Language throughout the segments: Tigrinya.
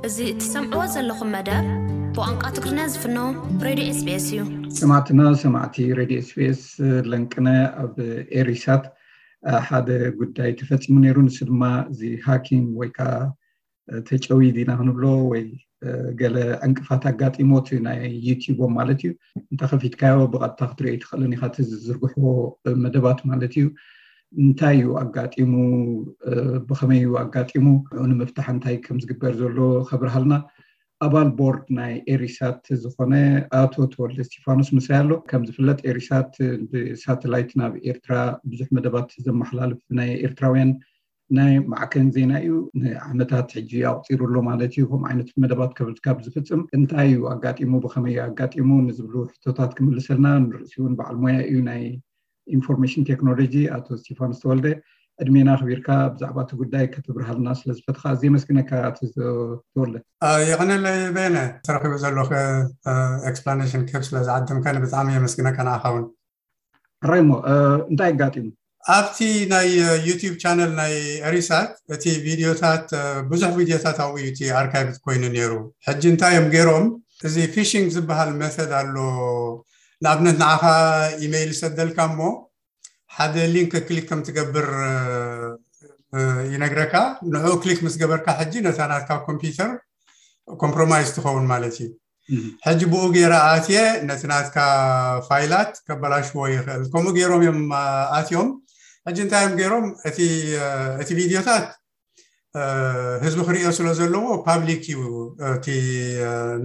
እዚ እትሰምዕዎ ዘለኹም መደብ ብቋንቋ ትግርኛ ዝፍኖ ሬድዮ ኤስቢኤስ እዩ። ሰማዕትና ሰማዕቲ ሬድዮ ኤስቢኤስ፣ ለንቅነ ኣብ ኤሪሳት ሓደ ጉዳይ ተፈፂሙ ነይሩ። ንሱ ድማ እዚ ሃኪንግ ወይ ከዓ ተጨውይድ ኢና ክንብሎ ወይ ገለ ዕንቅፋት ኣጋጢሞት ናይ ዩቲዩቦም ማለት እዩ። እንተኸፊትካዮ ብቐጥታ ክትሪኦ ኣይትኽእልን ኢኻ እቲ ዝዝርግሕዎ መደባት ማለት እዩ። እንታይ እዩ ኣጋጢሙ፣ ብኸመይ እዩ ኣጋጢሙ፣ ንኡ ንምፍታሕ እንታይ ከም ዝግበር ዘሎ ከብርሃልና ኣባል ቦርድ ናይ ኤሪሳት ዝኾነ ኣቶ ተወልደ እስቲፋኖስ ምሳይ ኣሎ። ከም ዝፍለጥ ኤሪሳት ብሳተላይት ናብ ኤርትራ ብዙሕ መደባት ዘመሓላልፍ ናይ ኤርትራውያን ናይ ማዕከን ዜና እዩ። ንዓመታት ሕጂ ኣቑፂሩ ኣሎ ማለት እዩ። ከምኡ ዓይነት መደባት ካብ ዝፍፅም እንታይ እዩ ኣጋጢሙ፣ ብኸመይ እዩ ኣጋጢሙ ንዝብሉ ሕቶታት ክምልሰልና ንርእሲ እውን በዓል ሞያ እዩ ናይ ኢንፎርሜሽን ቴክኖሎጂ ኣቶ እስቲፋኖስ ተወልደ። ዕድሜና ኣኽቢርካ ብዛዕባ እቲ ጉዳይ ከተብርሃልና ስለ ዝፈትኻ ኣዝየ የመስግነካ ኣቶ ተወልደ። የቐነለይ በየነ፣ ተረኺቡ ዘሎ ኤክስፕላኔሽን ኬፕ ስለ ዝዓደምካኒ ብጣዕሚ የመስግነካ ንዓኻ እውን። ሕራይ እሞ እንታይ ኣጋጢሙ? ኣብቲ ናይ ዩቲዩብ ቻነል ናይ ኤሪሳት እቲ ቪድዮታት ብዙሕ ቪድዮታት ኣብኡ እዩ እቲ ኣርካይቭ ኮይኑ ነይሩ። ሕጂ እንታይ እዮም ገይሮም? እዚ ፊሽንግ ዝበሃል መተድ ኣሎ። ንኣብነት ንዓኻ ኢሜይል ይሰደልካ እሞ ሓደ ሊንክ ክሊክ ከም ትገብር ይነግረካ። ንዕኡ ክሊክ ምስ ገበርካ ሕጂ ነታ ናትካ ኮምፒውተር ኮምፕሮማይዝ ትኸውን ማለት እዩ። ሕጂ ብኡ ገይረ ኣትየ ነቲ ናትካ ፋይላት ከበላሽዎ ይኽእል። ከምኡ ገይሮም እዮም ኣትዮም። ሕጂ እንታይ እዮም ገይሮም? እቲ ቪድዮታት ህዝቢ ክሪኦ ስለ ዘለዎ ፓብሊክ እዩ እቲ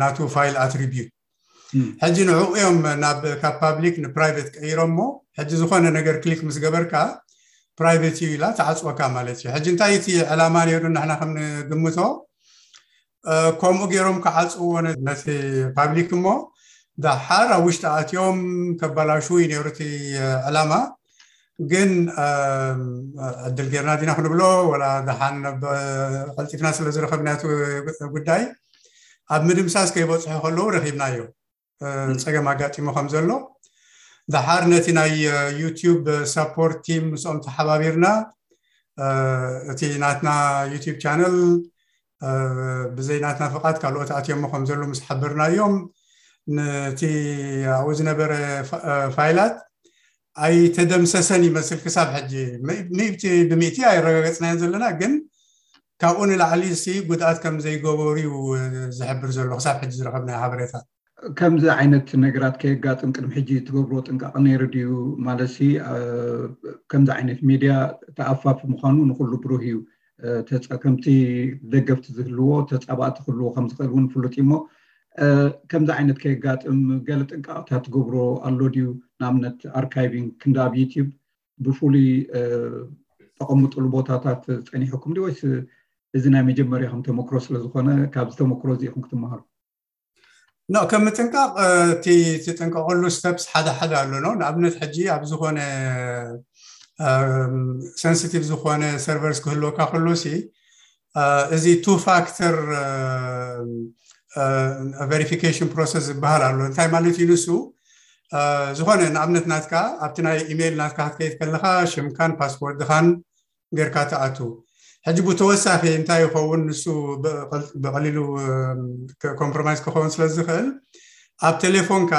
ናቱ ፋይል ኣትሪቢዩት። ሕጂ ንዕኡ እዮም ናብ ካብ ፓብሊክ ንፕራይቬት ቀይሮሞ። ሕጂ ዝኾነ ነገር ክሊክ ምስ ገበርካ ፕራይቬት እዩ ኢላ ትዓፅወካ ማለት እዩ። ሕጂ እንታይ እቲ ዕላማ ነይሩ ንሕና ከም ንግምቶ ከምኡ ገይሮም ክዓፅዎ ነቲ ፓብሊክ እሞ ደሓር ኣብ ውሽጢ ኣትዮም ከበላሹ እዩ ነይሩ እቲ ዕላማ። ግን ዕድል ጌርና ዲና ክንብሎ ወላ ደሓን ቀልጢፍና ስለ ዝረኸብናዮ ጉዳይ ኣብ ምድምሳስ ከይበፅሑ ከለዉ ረኺብናዮ ፀገም ኣጋጢሙ ከም ዘሎ። ደሓር ነቲ ናይ ዩቲዩብ ሳፖርት ቲም ምስኦም ተሓባቢርና እቲ ናትና ዩቲዩብ ቻነል ብዘይ ናትና ፍቓድ ካልኦት ኣትዮሞ ከም ዘሎ ምስ ሓበርናዮም ነቲ ኣብኡ ዝነበረ ፋይላት ኣይተደምሰሰን ይመስል ክሳብ ሕጂ ሚእቲ ብሚእቲ ኣይረጋገፅናዮን ዘለና፣ ግን ካብኡ ንላዕሊ ሲ ጉድኣት ከም ዘይገበሩ እዩ ዝሕብር ዘሎ ክሳብ ሕጂ ዝረኸብናዮ ሓበሬታ። ከምዚ ዓይነት ነገራት ከየጋጥም ቅድሚ ሕጂ ትገብርዎ ጥንቃቐ ነይሩ ድዩ? ማለት ሲ ከምዚ ዓይነት ሚድያ ተኣፋፊ ምዃኑ ንኩሉ ብሩህ እዩ። ከምቲ ደገፍቲ ዝህልዎ ተፃባእቲ ክህልዎ ከም ዝኽእል እውን ፍሉጥ እዩ። እሞ ከምዚ ዓይነት ከየጋጥም ገለ ጥንቃቐታት ትገብሮ ኣሎ ድዩ? ንኣብነት ኣርካይቪንግ ክንዲ ኣብ ዩቲዩብ ብፍሉይ ተቐምጥሉ ቦታታት ፀኒሕኩም ድዩ ወይስ እዚ ናይ መጀመርያኹም ተመክሮ ስለ ዝኾነ ካብዚ ተመክሮ እዚ ኢኹም ክትመሃሩ? ኖ ከም ምጥንቃቕ እቲ ትጥንቀቐሉ ስተፕስ ሓደ ሓደ ኣሎ ነው። ንኣብነት ሕጂ ኣብ ዝኾነ ሰንሲቲቭ ዝኾነ ሰርቨርስ ክህልወካ ከሎ ሲ እዚ ቱ ፋክተር ቨሪፊኬሽን ፕሮሰስ ዝበሃል ኣሎ። እንታይ ማለት እዩ ንሱ? ዝኾነ ንኣብነት ናትካ ኣብቲ ናይ ኢሜይል ናትካ ክትከይድ ከለካ ሽምካን ፓስወርድኻን ጌርካ ትኣቱ። ሕጂ ብተወሳኺ እንታይ ይኸውን ንሱ ብቐሊሉ ኮምፕሮማይዝ ክኸውን ስለ ዝኽእል ኣብ ቴሌፎንካ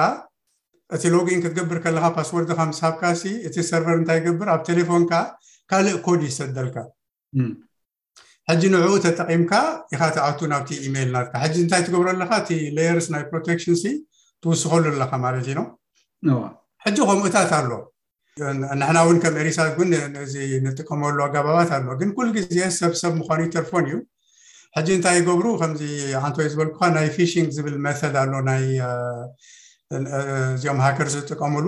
እቲ ሎጊን ክትገብር ከለካ ፓስወርድካ ምስ ሃብካ ሲ እቲ ሰርቨር እንታይ ይገብር ኣብ ቴሌፎንካ ካልእ ኮድ ይሰደልካ። ሕጂ ንዕኡ ተጠቒምካ ኢኻ ትኣቱ ናብቲ ኢሜይል ናትካ። ሕጂ እንታይ ትገብሮ ኣለካ? እቲ ሌየርስ ናይ ፕሮቴክሽን ሲ ትውስኸሉ ኣለካ ማለት እዩ ነው። ሕጂ ከምኡታት ኣሎ። ንሕና እውን ከም ኤሪሳት ግን እዚ ንጥቀመሉ ኣጋባባት ኣሎ። ግን ኩል ግዜ ሰብ ሰብ ምዃኑ ይተርፎን እዩ። ሕጂ እንታይ ይገብሩ? ከምዚ ኣንቶይ ዝበልኩካ ናይ ፊሽንግ ዝብል መተድ ኣሎ ናይ እዚኦም ሃከር ዝጥቀሙሉ።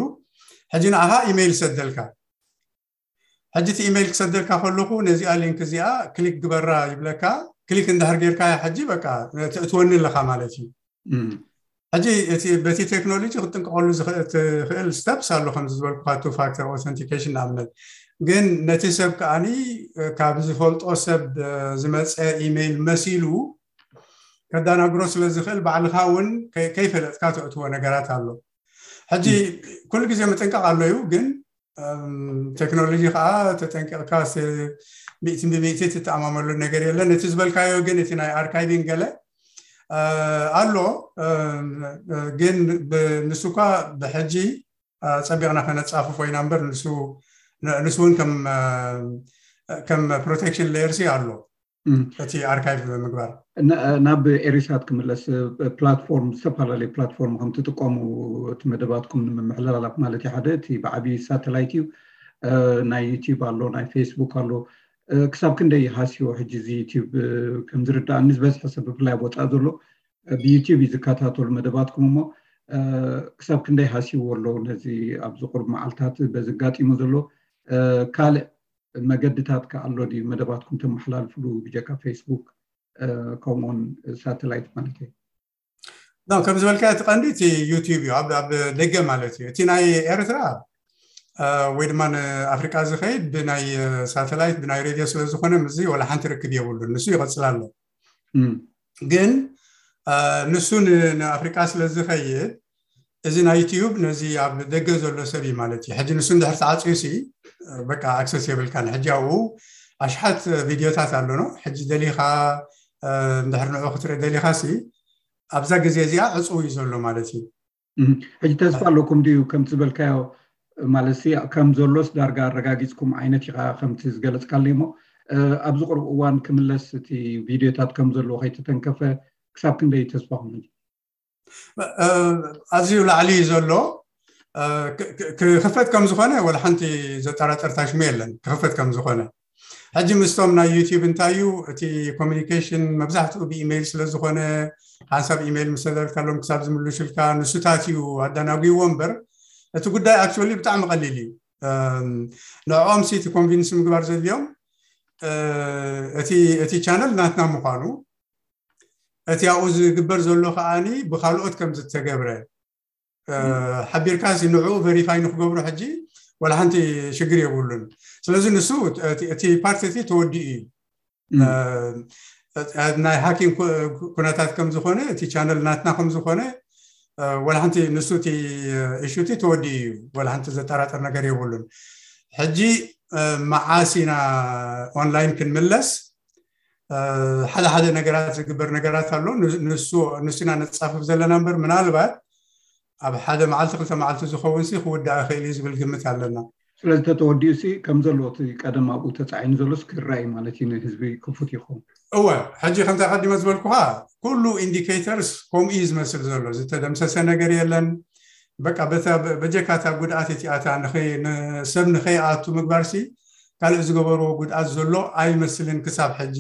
ሕጂ ንኣኻ ኢሜይል ሰደልካ። ሕጂ እቲ ኢሜይል ክሰደልካ ከለኹ ነዚኣ ሊንክ እዚኣ ክሊክ ግበራ ይብለካ። ክሊክ እንድሕር ጌርካያ ሕጂ በቃ ተእትወኒ ኣለካ ማለት እዩ። ሕጂ በቲ ቴክኖሎጂ ክትጥንቀቐሉ ትኽእል ስተፕስ ኣሎ ከምዚ ዝበልኩካ ቱ ፋክተር ኦተንቲኬሽን ንኣብነት። ግን ነቲ ሰብ ከኣኒ ካብ ዝፈልጦ ሰብ ዝመፀ ኢሜይል መሲሉ ከዳናግሮ ስለ ዝኽእል ባዕልኻ እውን ከይፈለጥካ ተእትዎ ነገራት ኣሎ። ሕጂ ኩሉ ግዜ ምጥንቃቕ ኣሎ እዩ፣ ግን ቴክኖሎጂ ከዓ ተጠንቂቕካ ሚእቲ ብሚእቲ ትተኣማመሉ ነገር የለን። እቲ ዝበልካዮ ግን እቲ ናይ ኣርካይቪንግ ገለ ኣሎ። ግን ንሱ እኳ ብሕጂ ፀቢቕና ከነፃፍፎ ኢና እምበር ንሱ እውን ከም ፕሮቴክሽን ሌየርሲ ኣሎ። እቲ ኣርካይቭ ምግባር። ናብ ኤሪሳት ክምለስ፣ ፕላትፎርም፣ ዝተፈላለዩ ፕላትፎርም ከም ትጥቀሙ እቲ መደባትኩም ንምምሕልላፍ ማለት እዩ። ሓደ እቲ ብዓብዪ ሳተላይት እዩ። ናይ ዩቲዩብ ኣሎ፣ ናይ ፌስቡክ ኣሎ። ክሳብ ክንደይ ሃስዮ ሕጂ እዚ ዩቲዩብ? ከም ዝርዳእኒ ዝበዝሐ ሰብ ብፍላይ ኣብ ወፃኢ ዘሎ ብዩቲዩብ እዩ ዝከታተሉ መደባትኩም። እሞ ክሳብ ክንደይ ሃስይዎ ኣለዉ ነዚ ኣብዚ ቁሩብ መዓልታት በዚ ኣጋጢሙ ዘሎ? ካልእ መገድታት ከ ኣሎ ድዩ መደባትኩም ተመሓላልፍሉ ብጀካ ፌስቡክ ከምኡውን ሳተላይት ማለት እዩ? ከም ዝበልካ እቲ ቀንዲ እቲ ዩቲዩብ እዩ፣ ኣብ ደገ ማለት እዩ። እቲ ናይ ኤርትራ ወይ ድማ ንኣፍሪቃ ዝኸይድ ብናይ ሳተላይት ብናይ ሬድዮ ስለዝኾነ ምስዚ ወላ ሓንቲ ርክብ የብሉን። ንሱ ይቐፅል ኣሎ። ግን ንሱ ንኣፍሪቃ ስለዝኸይድ እዚ ናይ ዩቲዩብ ነዚ ኣብ ደገ ዘሎ ሰብ እዩ ማለት እዩ። ሕጂ ንሱ እንድሕር ተዓፅዩ ሲ በቃ ኣክሰስ የብልካን። ሕጂ ኣብኡ ኣሽሓት ቪድዮታት ኣሎ ነው። ሕጂ ደሊኻ እንድሕር ንዑ ክትርኢ ደሊኻ ሲ ኣብዛ ግዜ እዚኣ ዕፁው እዩ ዘሎ ማለት እዩ። ሕጂ ተስፋ ኣለኩም ድዩ ከምቲ ዝበልካዮ? ማለት ሲ ከም ዘሎስ ዳርጋ ኣረጋጊፅኩም ዓይነት ኢኻ ከምቲ ዝገለፅካለይ። እሞ ኣብዚ ቅርብ እዋን ክምለስ እቲ ቪድዮታት ከም ዘለዎ ከይተተንከፈ ክሳብ ክንደይ ተስፋኹም? ኣዝዩ ላዕሊ እዩ ዘሎ። ክኸፈት ከም ዝኾነ ወላ ሓንቲ ዘጠራጠር ታሽሙ የለን። ክኸፈት ከም ዝኾነ ሕጂ ምስቶም ናይ ዩቲዩብ እንታይ እዩ እቲ ኮሚኒኬሽን መብዛሕትኡ ብኢሜይል ስለ ዝኾነ ሓንሳብ ኢሜይል ምስ ተደረግካሎም ክሳብ ዝምልሹልካ ንሱታት እዩ ኣደናጒዎ እምበር እቲ ጉዳይ ኣክቹዋሊ ብጣዕሚ ቀሊል እዩ። ንዕኦም ሲ እቲ ኮንቪንስ ምግባር ዘድልዮም እቲ ቻነል ናትና ምዃኑ እቲ ኣብኡ ዝግበር ዘሎ ከዓኒ ብካልኦት ከም ዝተገብረ ሓቢርካ ሲ ንዕኡ ቨሪፋይ ንክገብሩ ሕጂ ወላ ሓንቲ ሽግር የብሉን። ስለዚ ንሱ እቲ ፓርቲ እቲ ተወዲኡ እዩ። ናይ ሃኪንግ ኩነታት ከም ዝኾነ እቲ ቻነል ናትና ከም ዝኾነ ወላ ሓንቲ ንሱ እቲ ኢሹ እቲ ተወዲኡ እዩ። ወላ ሓንቲ ዘጠራጥር ነገር የብሉን። ሕጂ መዓስ ኢና ኦንላይን ክንምለስ? ሓደ ሓደ ነገራት ዝግበር ነገራት ኣሎ። ንሱ ኢና ነፃፍፍ ዘለና እምበር ምናልባት ኣብ ሓደ መዓልቲ ክልተ መዓልቲ ዝኸውን ሲ ክውዳእ ይኽእል እዩ ዝብል ግምት ኣለና። ስለዚ ተተወዲኡ ሲ ከም ዘሎ እቲ ቀደም ኣብኡ ተፃዒኑ ዘሎስ ክረኣይ ማለት እዩ ንህዝቢ ክፉት ይኸውን? እወ፣ ሕጂ ከምቲ ኣቐዲመ ዝበልኩኻ ኩሉ ኢንዲኬተርስ ከምኡ እዩ ዝመስል ዘሎ። ዝተደምሰሰ ነገር የለን። በቃ በጀካታ ጉድኣት እቲኣታ ንሰብ ንኸይኣቱ ምግባር ሲ ካልእ ዝገበርዎ ጉድኣት ዘሎ ኣይመስልን ክሳብ ሕጂ።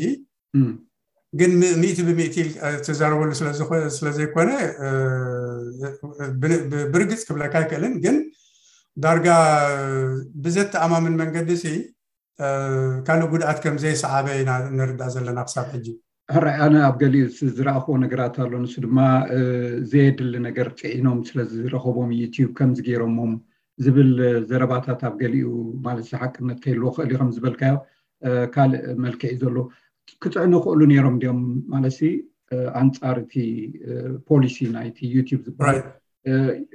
ግን ሚእቲ ብሚእቲ ትዛረበሉ ስለዘይኮነ ብርግፅ ክብለካ ኣይክእልን። ግን ዳርጋ ብዘተኣማምን መንገዲ ሲ ካልእ ጉድኣት ከም ዘይሰዓበ ኢና ንርዳእ ዘለና ክሳብ ሕጂ። ሕራይ ኣነ ኣብ ገሊኡ ዝረኣኽዎ ነገራት ኣሎ። ንሱ ድማ ዘየድሊ ነገር ፅዒኖም ስለዝረኸቦም ዩቲዩብ ከምዚ ገይሮሞም ዝብል ዘረባታት ኣብ ገሊኡ ማለት ሓቅነት ከይልዎ ክእል እዩ። ከም ዝበልካዮ ካልእ መልክዕ እዩ ዘሎ። ክፅዕኑ ክእሉ ነይሮም ድዮም ማለት ኣንፃር እቲ ፖሊሲ ናይቲ ዩቲዩብ ዝበሃል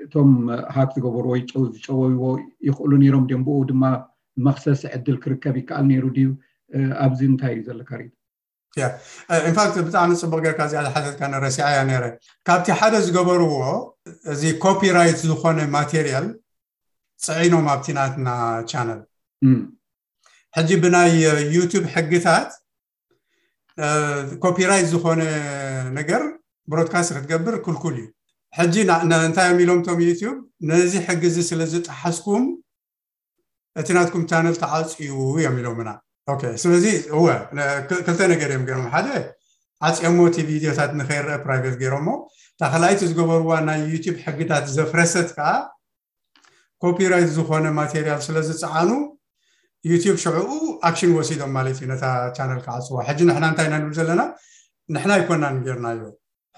እቶም ሃክ ዝገበሩ ወይ ዝጨወይዎ ይኽእሉ ነይሮም ድዮም? ብኡ ድማ መክሰስ ዕድል ክርከብ ይከኣል ነይሩ ድዩ? ኣብዚ እንታይ እዩ ዘለካ ሪኢቶ? ኢንፋክት ብጣዕሚ ፅቡቅ ጌርካ እዚኣ ዝሓተትካ ረሲዓያ ነይረ። ካብቲ ሓደ ዝገበርዎ እዚ ኮፒራይት ዝኾነ ማቴሪያል ፅዒኖም ኣብቲ ናትና ቻነል። ሕጂ ብናይ ዩቱብ ሕግታት ኮፒራይት ዝኾነ ነገር ብሮድካስት ክትገብር ክልኩል እዩ። ሕጂ እንታይ እዮም ኢሎም እቶም ዩቱብ፣ ነዚ ሕጊ እዚ ስለ ዝጠሓስኩም እቲ ናትኩም ቻነል ተዓፅዩ እዮም ኢሎምና። ስለዚ እወ ክልተ ነገር እዮም ገይሮም። ሓደ ዓፅዮሞ እቲ ቪዲዮታት ንኸይረአ ፕራይቬት ገይሮሞ። እታ ካልኣይቲ ዝገበርዋ ናይ ዩቱብ ሕግታት ዘፍረሰት ከዓ ኮፒራይት ዝኾነ ማቴሪያል ስለ ዝፀዓኑ ዩቱብ ሽዕኡ ኣክሽን ወሲዶም ማለት እዩ ነታ ቻነል ክዓፅዋ። ሕጂ ንሕና እንታይ ኢና ንብል ዘለና? ንሕና ኣይኮናን ጌርናዮ።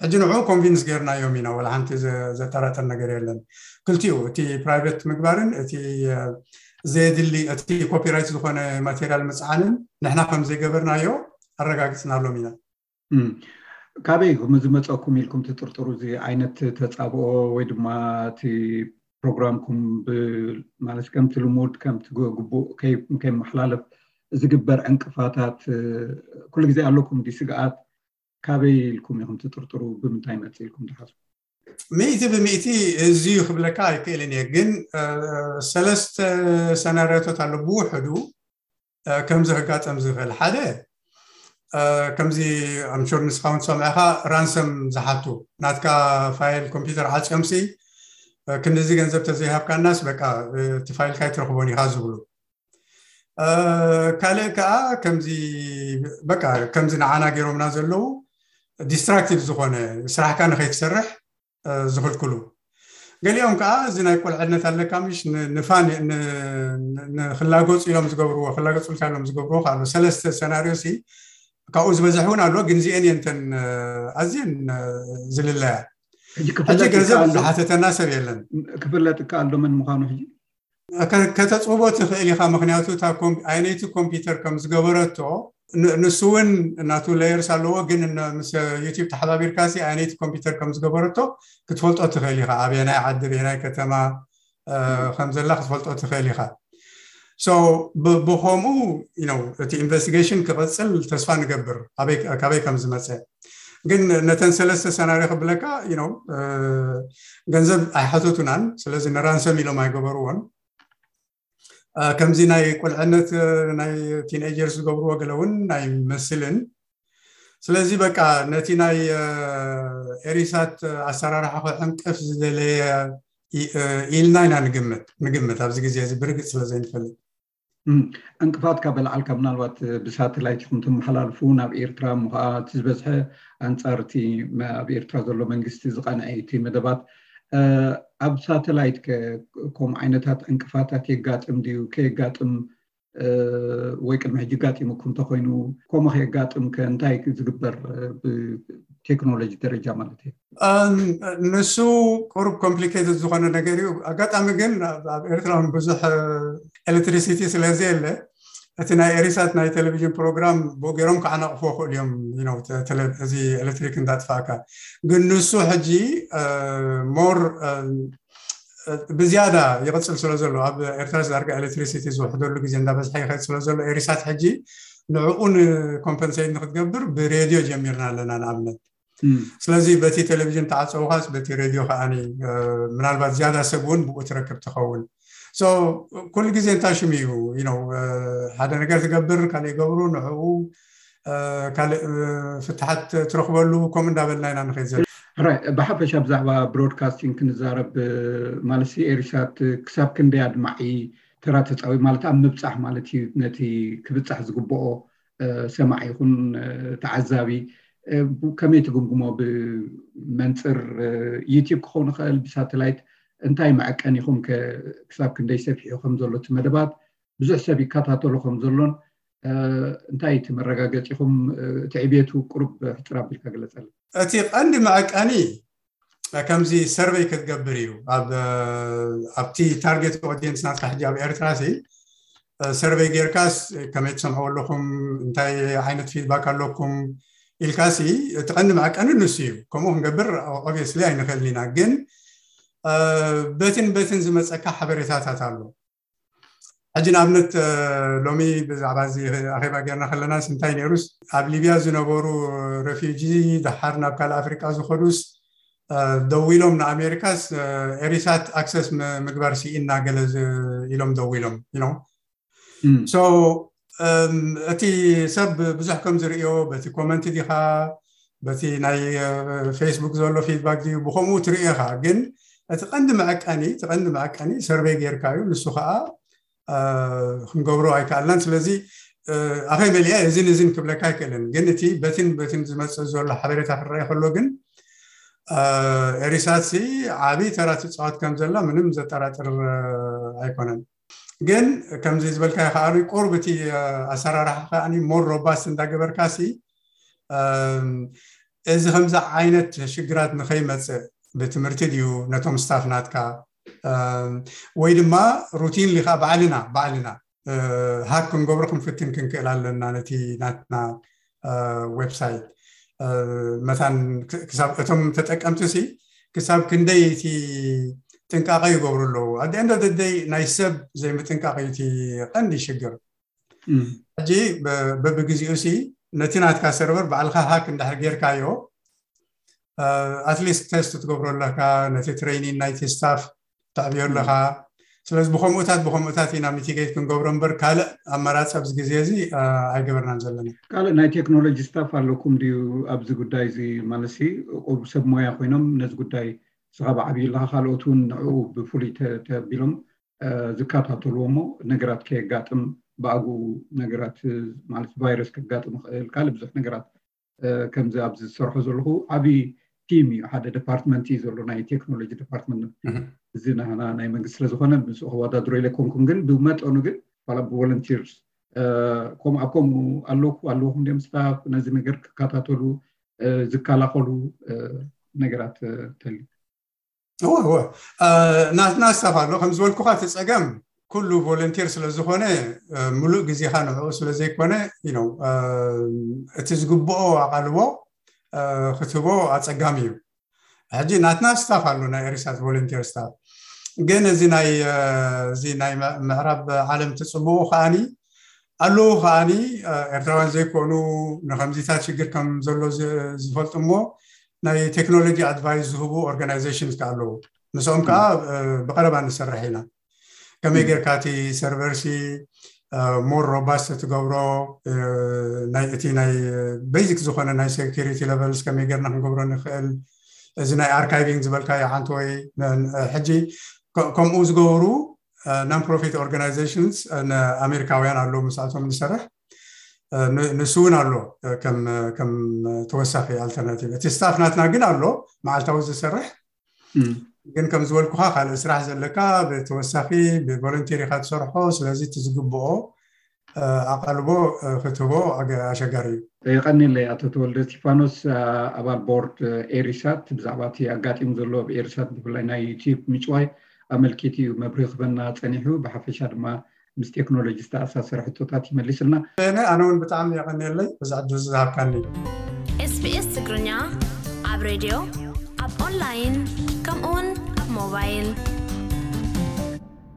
ሕጂ ንዕኡ ኮንቪንስ ጌርናዮም ኢና፣ ወላ ሓንቲ ዘጠራጥር ነገር የለን። ክልቲኡ እቲ ፕራይቬት ምግባርን እቲ ዘየድሊ እቲ ኮፒራይት ዝኾነ ማቴሪያል ምፅዓንን ንሕና ከም ዘይገበርናዮ ኣረጋግፅናሎም ኢና። ካበይ ዝመፀኩም ኢልኩም ትጥርጥሩ እዚ ዓይነት ተፃብኦ ወይ ድማ እቲ ፕሮግራምኩም ማለት ከምቲ ልሙድ ከምቲ ግቡእ ከይመሓላለፍ ዝግበር ዕንቅፋታት ኩሉ ግዜ ኣለኩም ዲ ስግኣት? ካበይ ኢልኩም ኢኹም ትጥርጥሩ? ብምንታይ መጽእ ኢልኩም ትሓስቡ? ሚእቲ ብሚእቲ እዚ ክብለካ ኣይክእልን እየ፣ ግን ሰለስተ ሰናርዮታት ኣሎ ብውሕዱ ከምዚ ክጋጠም ዝኽእል። ሓደ ከምዚ ኣምሹር ንስኻ እውን ትሰምዐኻ ራንሰም ዝሓቱ ናትካ ፋይል ኮምፒውተር ዓፅዮምሲ ክንድዚ ገንዘብ ተዘይሃብካናስ በቃ እቲ ፋይልካ ኣይትረኽቦን ኢኻ ዝብሉ። ካልእ ከዓ ከምዚ በቃ ከምዚ ንዓና ገይሮምና ዘለዉ ዲስትራክቲቭ ዝኾነ ስራሕካ ንኸይትሰርሕ ዝኽልክሉ። ገሊኦም ከዓ እዚ ናይ ቁልዕነት ኣለካ ምሽ ንፋን ንክላገፁ ኢሎም ዝገብርዎ ክላገፁልካ ኢሎም ዝገብርዎ ኣሎ። ሰለስተ ሰናርዮ ሲ ካብኡ ዝበዝሕ እውን ኣሎ፣ ግን እዚአን የንተን ኣዝየን ዝልለያ። ሕጂ ገንዘብ ዝሓተተና ሰብ የለን። ክፍለጥ ከኣል ዶ መን ምዃኑ ሕጂ ከተፅውቦ ትኽእል ኢኻ። ምክንያቱ እታ ኣየነይቲ ኮምፒውተር ከም ዝገበረቶ ንሱ እውን እናቱ ሌየርስ ኣለዎ፣ ግን ምስ ዩቲብ ተሓባቢርካ ሲ ኣየነይቲ ኮምፒውተር ከም ዝገበረቶ ክትፈልጦ ትኽእል ኢኻ። ኣበየናይ ዓዲ ኣበየናይ ከተማ ከም ዘላ ክትፈልጦ ትኽእል ኢኻ። ብከምኡ እቲ ኢንቨስቲጌሽን ክቐፅል ተስፋ ንገብር ካበይ ከም ዝመፀ። ግን ነተን ሰለስተ ሰናሪ ክብለካ ገንዘብ ኣይሓተቱናን። ስለዚ ንራንሰም ኢሎም ኣይገበርዎን። ከምዚ ናይ ቁልዕነት ናይ ቲንኤጀርስ ዝገብርዎ ገለ እውን ኣይመስልን። ስለዚ በቃ ነቲ ናይ ኤሪሳት ኣሰራርሓ ክዕንቅፍ ዝደለየ ኢልና ኢና ንግምት ንግምት ኣብዚ ግዜ እዚ ብርግፅ ስለ ዘይንፈልጥ። ዕንቅፋት ካብ በልዓልካ ምናልባት ብሳተላይት ኢኹም ትመሓላልፉ ናብ ኤርትራ፣ እሞ ከዓ እቲ ዝበዝሐ ኣንፃር እቲ ኣብ ኤርትራ ዘሎ መንግስቲ ዝቐንዐ እቲ መደባት። ኣብ ሳተላይት ከምኡ ዓይነታት ዕንቅፋታት የጋጥም ድዩ? ከየጋጥም ወይ ቅድሚ ሕጂ ጋጢሙኩም እንተኮይኑ፣ ከምኡ ከየጋጥም ከ እንታይ ዝግበር ብቴክኖሎጂ ደረጃ ማለት እዩ? ንሱ ቁሩብ ኮምፕሊኬትድ ዝኾነ ነገር እዩ። ኣጋጣሚ ግን ኣብ ኤርትራ እውን ብዙሕ ኤሌክትሪሲቲ ስለዘየለ እቲ ናይ ኤሪሳት ናይ ቴሌቪዥን ፕሮግራም ብኡ ገይሮም ክዓናቕፎ ክእሉ እዮም። እዚ ኤሌክትሪክ እንዳጥፋእካ ግን ንሱ ሕጂ ሞር ብዝያዳ ይቕፅል ስለ ዘሎ ኣብ ኤርትራ ዳርጋ ኤሌክትሪሲቲ ዝውሕደሉ ግዜ እንዳበዝሐ ይኸድ ስለ ዘሎ ኤሪሳት ሕጂ ንዕኡ ንኮምፐንሴት ንክትገብር ብሬድዮ ጀሚርና ኣለና ንኣብነት። ስለዚ በቲ ቴሌቪዥን ተዓፀውኻስ በቲ ሬድዮ ከዓኒ ምናልባት ዝያዳ ሰብ እውን ብኡ ትረክብ ትኸውን። ኩሉ ግዜ እንታይ ሽም እዩ ሓደ ነገር ትገብር ካልእ ይገብሩ ንዕኡ ካልእ ፍትሓት ትረኽበሉ ከምኡ እንዳበልና ኢና ንኸይድ ዘለና። ብሓፈሻ ብዛዕባ ብሮድካስቲንግ ክንዛረብ ማለት ኤሪሳት ክሳብ ክንደይ ኣድማዒ ተራ ተፃዊ ማለት ኣብ ምብፃሕ ማለት እዩ ነቲ ክብፃሕ ዝግብኦ ሰማዒ ይኹን ተዓዛቢ ከመይ ትግምግሞ? ብመንፅር ዩቲብ ክኸውን ይኽእል ብሳተላይት እንታይ መዐቀኒኹም ክሳብ ክንደይ ሰፊሑ ከም ዘሎ እቲ መደባት ብዙሕ ሰብ ይከታተሎ ከም ዘሎን እንታይ እቲ መረጋገፂኹም? እቲ ዕቤቱ ቁሩብ ሕፅር ኣቢልካ ግለፀልና። እቲ ቀንዲ መዐቀኒ ከምዚ ሰርቨይ ክትገብር እዩ። ኣብቲ ታርጌት ኦዲየንስ ናትካ ሕጂ ኣብ ኤርትራ ሲ ሰርቨይ ጌርካስ ከመይ ትሰምዕዎ ኣለኹም እንታይ ዓይነት ፊድባክ ኣለኩም ኢልካሲ እቲ ቀንዲ መዐቀኒ ንሱ እዩ። ከምኡ ክንገብር ኦብቪየስሊ ኣይንኽእልን ኢና፣ ግን በትን በትን ዝመፀካ ሓበሬታታት ኣሎ። ሕጂ ንኣብነት ሎሚ ብዛዕባ እዚ ኣኼባ ጌርና ከለናስ እንታይ ነይሩስ ኣብ ሊብያ ዝነበሩ ረፊጂ ደሓር ናብ ካልእ ኣፍሪቃ ዝኸዱስ ደዊሎም ንኣሜሪካስ ኤሪሳት ኣክሰስ ምግባር ስኢና ገለ ኢሎም ደዊሎም። እቲ ሰብ ብዙሕ ከም ዝርእዮ በቲ ኮመንት ዲኻ በቲ ናይ ፌስቡክ ዘሎ ፊድባክ ድዩ ብከምኡ ትርእዮ ኢኻ። ግን እቲ ቀንዲ መዐቀኒ እቲ ቀንዲ መዐቀኒ ሰርቬይ ጌርካ እዩ። ንሱ ከዓ ክንገብሮ ኣይከኣልናን። ስለዚ ኣኸይ መሊኣ እዝን እዝን ክብለካ ኣይክእልን። ግን እቲ በትን በትን ዝመፅእ ዘሎ ሓበሬታ ክረኣይ ከሎ ግን ኤሪሳት ሲ ዓብዪ ተራ ትፃወት ከም ዘላ ምንም ዘጠራጥር ኣይኮነን። ግን ከምዚ ዝበልካዮ ከዓ ቁሩብ እቲ ኣሰራርሓ ከዓ ሞር ሮባስት እንዳገበርካ ሲ እዚ ከምዚ ዓይነት ሽግራት ንኸይመፅእ ብትምህርቲ ድዩ ነቶም ስታፍ ናትካ ወይ ድማ ሩቲን ሊካ ባዕልና ባዕልና ሃክ ክንገብሮ ክንፍትን ክንክእል ኣለና ነቲ ናትና ዌብሳይት መታን ክሳብ እቶም ተጠቀምቲ ሲ ክሳብ ክንደይ እቲ ጥንቃቐ ይገብሩ ኣለዉ። ኣደ እንደ ደደይ ናይ ሰብ ዘይምጥንቃቕ እዩ እቲ ቀንዲ ሽግር። ሕጂ በብግዜኡ ሲ ነቲ ናትካ ሰርቨር ባዕልካ ሃክ እንድሕር ጌርካዮ ኣትሊስት ቴስት ትገብሮ ኣለካ፣ ነቲ ትሬኒን ናይቲ ስታፍ ተዕብዮ ኣለካ። ስለዚ ብከምኡታት ብከምኡታት ኢና ሚቲጌት ክንገብሮ እምበር ካልእ ኣማራፂ ኣብዚ ግዜ እዚ ኣይገበርናን ዘለና። ካልእ ናይ ቴክኖሎጂ ስታፍ ኣለኩም ድዩ ኣብዚ ጉዳይ እዚ? ማለት ቁሩብ ሰብ ሞያ ኮይኖም ነዚ ጉዳይ ንስኻ ብዓብዩ ኣለካ፣ ካልኦት እውን ንዕኡ ብፍሉይ ተቢሎም ዝከታተልዎ እሞ ነገራት ከየጋጥም ብኣግኡ ነገራት ማለት ቫይረስ ከጋጥም ይኽእል ካልእ ብዙሕ ነገራት ከምዚ ኣብዚ ዝሰርሖ ዘለኹ ዓብዪ ቲም እዩ። ሓደ ዲፓርትመንት እዩ ዘሎ ናይ ቴክኖሎጂ ዲፓርትመንት። እዚ ናህና ናይ መንግስቲ ስለዝኾነ ምስኡ ክወዳድሮ ኢለ ኣይኮንኩን፣ ግን ብመጠኑ ግን ዋላ ብቮለንቲርስ ከም ኣብ ከምኡ ኣለኩ ኣለኹም ድም ስታፍ ነዚ ነገር ክከታተሉ ዝከላኸሉ ነገራት ተልዩ። እወ እወ ናትና ስታፍ ኣሎ ከም ዝበልኩኻ እቲ ፀገም ኩሉ ቮለንቲር ስለዝኾነ ሙሉእ ግዜኻ ንዕኡ ስለዘይኮነ እቲ ዝግብኦ ኣቓልቦ ክትህቦ ኣፀጋሚ እዩ። ሕጂ ናትና ስታፍ ኣሎ ናይ ኤሪሳት ቮለንቲር ስታፍ፣ ግን እዚ ናይ እዚ ናይ ምዕራብ ዓለም ትፅብኡ ከዓኒ ኣለዉ ከዓኒ ኤርትራውያን ዘይኮኑ ንከምዚታት ሽግር ከም ዘሎ ዝፈልጡ እሞ ናይ ቴክኖሎጂ ኣድቫይስ ዝህቡ ኦርጋናይዜሽንስ ከ ኣለዉ። ምስኦም ከዓ ብቀረባ ንሰርሕ ኢና። ከመይ ጌርካ እቲ ሰርቨርሲ ሞር ሮባስት ትገብሮ፣ እቲ ናይ ቤዚክ ዝኾነ ናይ ሴኪሪቲ ለቨልስ ከመይ ጌርና ክንገብሮ ንኽእል፣ እዚ ናይ ኣርካይቪንግ ዝበልካዮ ሓንቲ ወይ ሕጂ ከምኡ ዝገብሩ ናን ፕሮፊት ኦርጋናይዜሽንስ ኣሜሪካውያን ኣለዉ ምስኣቶም ንሰርሕ። ንሱ እውን ኣሎ ከም ተወሳኺ ኣልተርናቲቭ። እቲ ስታፍ ናትና ግን ኣሎ መዓልታዊ ዝሰርሕ፣ ግን ከም ዝበልኩኻ ካልእ ስራሕ ዘለካ ብተወሳኺ ብቮለንቲር ኢኻ ትሰርሖ። ስለዚ እቲ ዝግብኦ ኣቓልቦ ክትህቦ ኣሸጋሪ እዩ። የቐንየለይ ኣቶ ተወልደ እስቲፋኖስ፣ ኣባል ቦርድ ኤሪሳት። ብዛዕባ እቲ ኣጋጢሙ ዘሎ ኣብ ኤሪሳት ብፍላይ ናይ ዩቲዩብ ምጭዋይ ኣመልኪቱ እዩ መብርሂ ክበና ፀኒሑ። ብሓፈሻ ድማ ምስ ቴክኖሎጂ ዝተኣሳሰረ ሕቶታት ይመልስልና። ኣነ እውን ብጣዕሚ የቐንየለይ እዚ ዕድል ዝሃብካኒ። ኤስቢኤስ ትግርኛ ኣብ ሬድዮ፣ ኣብ ኦንላይን፣ ከምኡውን ኣብ ሞባይል።